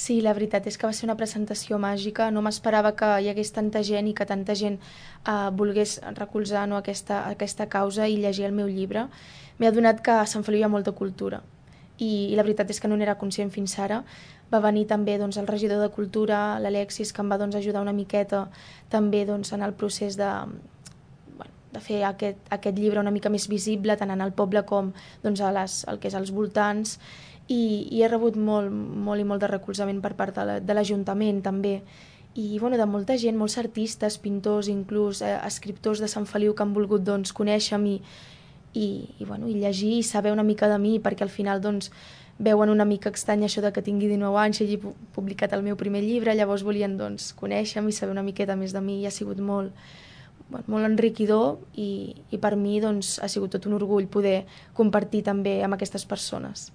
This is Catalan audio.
Sí, la veritat és que va ser una presentació màgica. No m'esperava que hi hagués tanta gent i que tanta gent volgués recolzar, no, aquesta causa i llegir el meu llibre. M'he adonat que a Sant Feliu hi ha molta cultura i la veritat és que no n'era conscient fins ara. Va venir també doncs, el regidor de Cultura, l'Alexis, que em va doncs, ajudar una miqueta també doncs, en el procés de fer aquest llibre una mica més visible tant en el poble com doncs, el que és als voltants i he rebut molt i molt de recolzament per part de l'Ajuntament també i bueno, de molta gent, molts artistes, pintors, inclús escriptors de Sant Feliu que han volgut doncs, conèixer-me bueno, i llegir i saber una mica de mi perquè al final doncs, veuen una mica estrany això de que tingui 19 anys i hagi publicat el meu primer llibre, llavors volien doncs, conèixer-me i saber una miqueta més de mi i ha sigut molt enriquidor i per mi doncs, ha sigut tot un orgull poder compartir també amb aquestes persones.